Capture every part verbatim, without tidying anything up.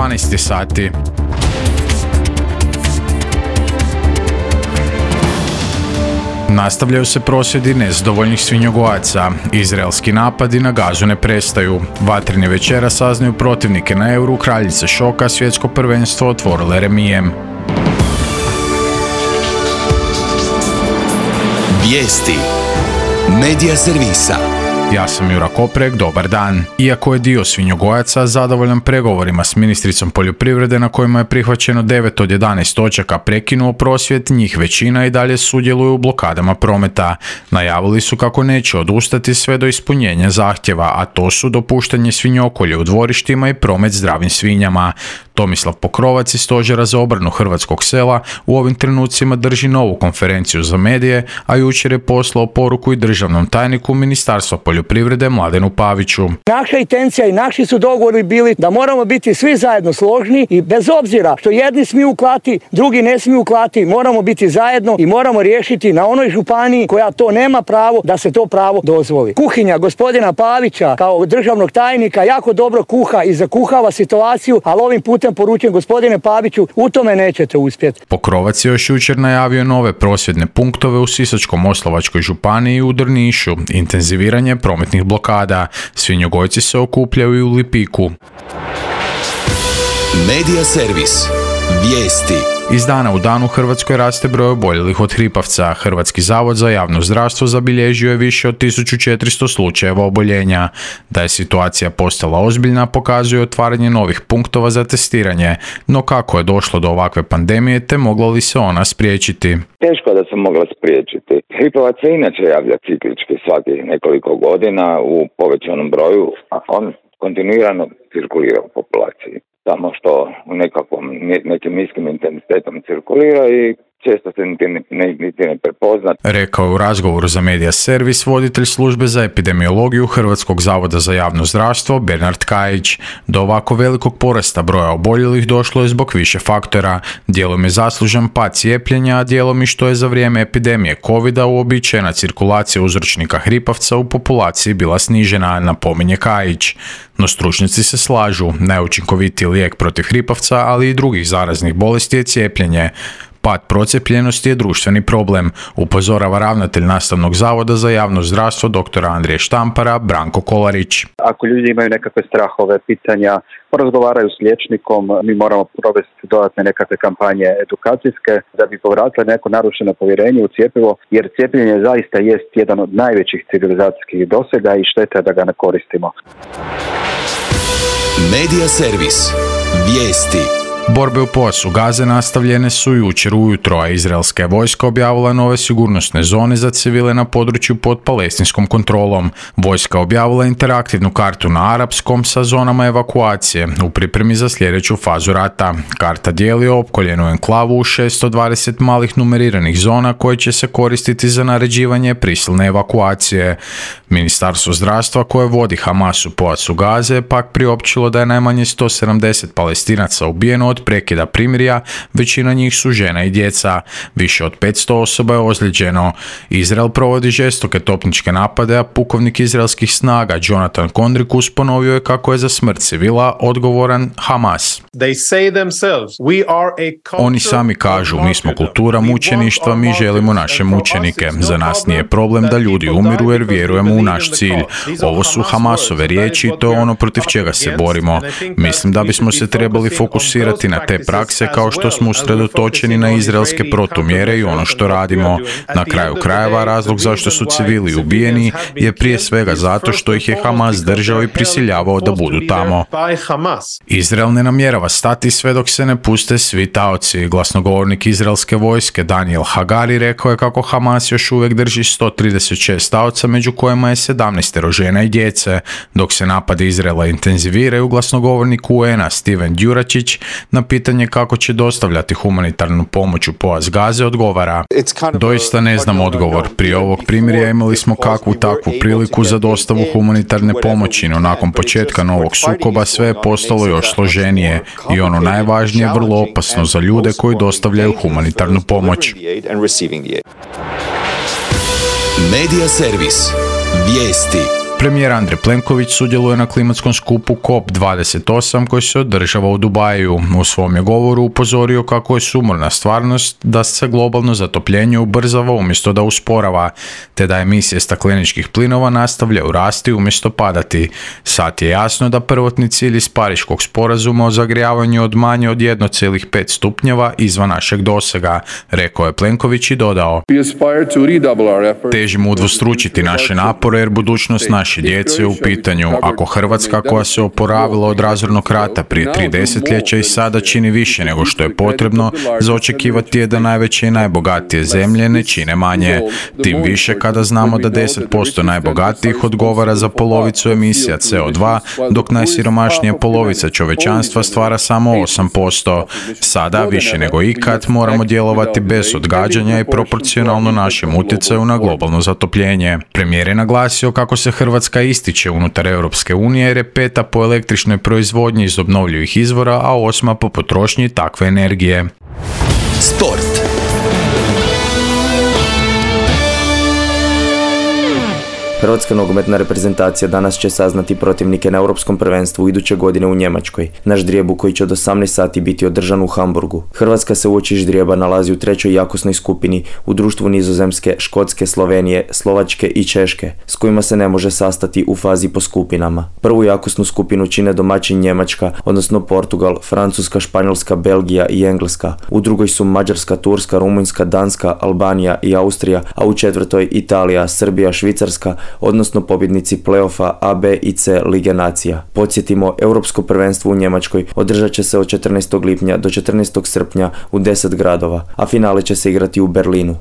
dvanaest sati. Nastavljaju se prosvjedi nezadovoljnih svinjogojaca. Izraelski napadi na Gazu ne prestaju. Vatreni večera saznaju protivnike na Euru, kraljice šoka, svjetsko prvenstvo otvorile remijem. Vijesti Medija servisa. Ja sam Jura Koprek, dobar dan. Iako je dio svinjogojaca zadovoljan pregovorima s ministricom poljoprivrede na kojima je prihvaćeno devet od jedanaest točaka prekinuo prosvjed, njih većina i dalje sudjeluju u blokadama prometa. Najavili su kako neće odustati sve do ispunjenja zahtjeva, a to su dopuštanje svinjokolje u dvorištima i promet zdravim svinjama. Tomislav Pokrovac iz Stožera za obranu hrvatskog sela u ovim trenucima drži novu konferenciju za medije, a jučer je poslao poruku i državnom tajniku Ministarstva poljoprivrede Mladenu Paviću. Naša intencija i naši su dogovori bili da moramo biti svi zajedno složni i bez obzira što jedni smiju klati, drugi ne smiju klati, moramo biti zajedno i moramo riješiti na onoj županiji koja to nema pravo da se to pravo dozvoli. Kuhinja gospodina Pavića kao državnog tajnika jako dobro kuha i zakuhava situaciju, ali ovim putem poručujem gospodine Paviću, u tome nećete uspjeti. Pokrovac je još jučer najavio nove prosvjedne punktove u Sisačko-moslavačkoj županiji i u Drnišu, intenziviranje prometnih blokada. Svinjogojci se okupljaju i u Lipiku. Medija servis. Vijesti. Iz dana u dan u Hrvatskoj raste broj oboljelih od hripavca. Hrvatski zavod za javno zdravstvo zabilježio je više od tisuću četiristo slučajeva oboljenja. Da je situacija postala ozbiljna pokazuje otvaranje novih punktova za testiranje. No kako je došlo do ovakve pandemije te mogla li se ona spriječiti? Teško da se mogla spriječiti. Hripavac se inače javlja ciklički svakih nekoliko godina u povećanom broju, a on kontinuirano cirkulira u populaciji. Samo što u nekakvom, nekim niskim intenzitetom cirkulira i često se niti ne, ne, niti ne prepozna. Rekao je u razgovoru za Medija servis voditelj službe za epidemiologiju Hrvatskog zavoda za javno zdravstvo Bernard Kajić. Do ovako velikog porasta broja oboljelih došlo je zbog više faktora. Dijelom je zaslužan pad cijepljenja, a dijelom i što je za vrijeme epidemije covida uobičajena cirkulacija uzročnika hripavca u populaciji bila snižena, napominje Kajić. No stručnjaci se slažu, najučinkovitiji lijek protiv hripavca, ali i drugih zaraznih bolesti je cijepljenje. Pad procijepljenosti je društveni problem, upozorava ravnatelj Nastavnog zavoda za javno zdravstvo doktora Andrije Štampara Branko Kolarić. Ako ljudi imaju nekakve strahove, pitanja, porazgovaraju s liječnikom, mi moramo provesti dodatne nekakve kampanje edukacijske da bi povratili neko narušeno povjerenje u cjepivo, jer cijepljenje zaista jest jedan od najvećih civilizacijskih dosega i šteta da ga ne koristimo. Medija servis. Vijesti. Borbe u pojasu Gaze nastavljene su jučer ujutro, a izraelska je vojska objavila nove sigurnosne zone za civile na području pod palestinskom kontrolom. Vojska objavila interaktivnu kartu na arapskom sa zonama evakuacije u pripremi za sljedeću fazu rata. Karta dijeli opkoljenu enklavu u šesto dvadeset malih numeriranih zona koje će se koristiti za naređivanje prisilne evakuacije. Ministarstvo zdravstva koje vodi Hamas u pojasu Gaze pak priopćilo da je najmanje sto sedamdeset Palestinaca ubijeno od prekida primirja, većina njih su žena i djeca. Više od petsto osoba je ozlijeđeno. Izrael provodi žestoke topničke napade, a pukovnik izraelskih snaga Jonathan Kondrikus ponovio je kako je za smrt civila odgovoran Hamas. Oni sami kažu, mi smo kultura mučeništva, mi želimo naše mučenike. Za nas nije problem da ljudi umiru jer vjerujemo u naš cilj. Ovo su Hamasove riječi i to je ono protiv čega se borimo. Mislim da bismo se trebali fokusirati na te prakse kao što smo usredotočeni na izraelske protumjere i ono što radimo. Na kraju krajeva razlog zašto su civili ubijeni je prije svega zato što ih je Hamas držao i prisiljavao da budu tamo. Izrael ne namjerava stati sve dok se ne puste svi taoci. Glasnogovornik izraelske vojske Daniel Hagari rekao je kako Hamas još uvijek drži sto trideset šest taoca, među kojima je sedamnaest žena i djece. Dok se napadi Izraela intenziviraju, glasnogovornik U N-a Steven Djuračić na pitanje kako će dostavljati humanitarnu pomoć u pojas Gaze odgovara: doista ne znam odgovor. Prije ovog primirja imali smo kakvu takvu priliku za dostavu humanitarne pomoći, no nakon početka novog sukoba sve je postalo još složenije i ono najvažnije vrlo opasno za ljude koji dostavljaju humanitarnu pomoć. Medija servis. Vijesti. Premijer Andrej Plenković sudjeluje na klimatskom skupu C O P dvadeset osam koji se održava u Dubaju. U svom je govoru upozorio kako je sumorna stvarnost da se globalno zatopljenje ubrzava umjesto da usporava, te da emisije stakleničkih plinova nastavljaju rasti umjesto padati. Sad je jasno da prvotni cilj iz Pariškog sporazuma o zagrijavanju od manje od jedan zarez pet stupnjeva izvan našeg dosega, rekao je Plenković i dodao: Težimo udvostručiti naše napore jer budućnost naše djece je u pitanju. Ako Hrvatska, koja se oporavila od razornog rata prije tri desetljeća i sada čini više nego što je potrebno, za očekivati je da najveće i najbogatije zemlje ne čine manje. Tim više kada znamo da deset posto najbogatijih odgovara za polovicu emisija C O dva, dok najsiromašnija polovica čovječanstva stvara samo osam posto. Sada, više nego ikad, moramo djelovati bez odgađanja i proporcionalno našem utjecaju na globalno zatopljenje. Premijer je naglasio kako se Hrvatska ističe unutar Europske unije jer je peta po električnoj proizvodnji iz obnovljivih izvora, a osma po potrošnji takve energije. Sport. Hrvatska nogometna reprezentacija danas će saznati protivnike na Europskom prvenstvu iduće godine u Njemačkoj. Na ždrijebu koji će od osamnaest sati biti održan u Hamburgu. Hrvatska se uoči ždrijeba nalazi u trećoj jakosnoj skupini u društvu Nizozemske, Škotske, Slovenije, Slovačke i Češke, s kojima se ne može sastati u fazi po skupinama. Prvu jakosnu skupinu čine domaćin Njemačka, odnosno Portugal, Francuska, Španjolska, Belgija i Engleska. U drugoj su Mađarska, Turska, Rumunjska, Danska, Albanija i Austrija, a u četvrtoj Italija, Srbija, Švicarska, odnosno pobjednici play-offa A, B i C Lige nacija. Podsjetimo, Europsko prvenstvo u Njemačkoj održat će se od četrnaestog lipnja do četrnaestog srpnja u deset gradova, a finale će se igrati u Berlinu.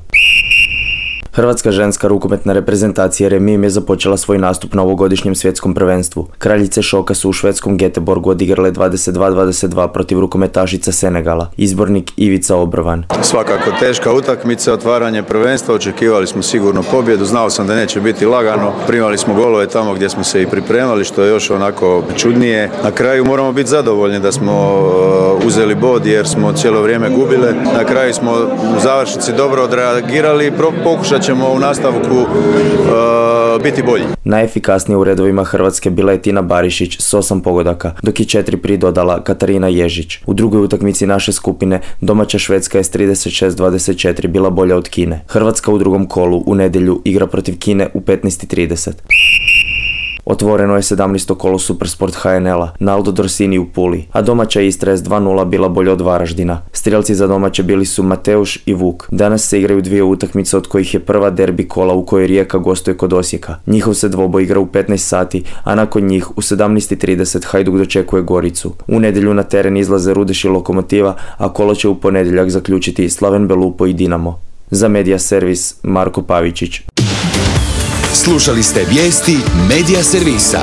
Hrvatska ženska rukometna reprezentacija Remim je započela svoj nastup na ovogodišnjem svjetskom prvenstvu. Kraljice šoka su u švedskom Göteborgu odigrale dvadeset dva dvadeset dva protiv rukometašica Senegala. Izbornik Ivica Obrovan. Svakako teška utakmica, otvaranje prvenstva, očekivali smo sigurno pobjedu, znao sam da neće biti lagano, primali smo golove tamo gdje smo se i pripremali, što je još onako čudnije. Na kraju moramo biti zadovoljni da smo uzeli bod jer smo cijelo vrijeme gubile. Na kraju smo u završnici dobro odreagirali i pokušali ćemo u nastavku uh, biti bolji. Najefikasnije u redovima Hrvatske bila je Tina Barišić s osam pogodaka, dok je četiri pridodala Katarina Ježić. U drugoj utakmici naše skupine domaća Švedska je s trideset šest dvadeset četiri bila bolja od Kine. Hrvatska u drugom kolu u nedjelju igra protiv Kine u petnaest i trideset. Otvoreno je sedamnaesto kolo Supersport H N L-a, Naldo Dorsini u Puli, a domaća Istra je s dva nula bila bolja od Varaždina. Strijelci za domaće bili su Mateuš i Vuk. Danas se igraju dvije utakmice od kojih je prva derbi kola u kojoj Rijeka gostuje kod Osijeka. Njihov se dvoboj igra u petnaest sati, a nakon njih u sedamnaest i trideset Hajduk dočekuje Goricu. U nedjelju na teren izlaze Rudeš i Lokomotiva, a kolo će u ponedjeljak zaključiti Slaven Belupo i Dinamo. Za Medija servis Marko Pavičić. Slušali ste vijesti Medija servisa.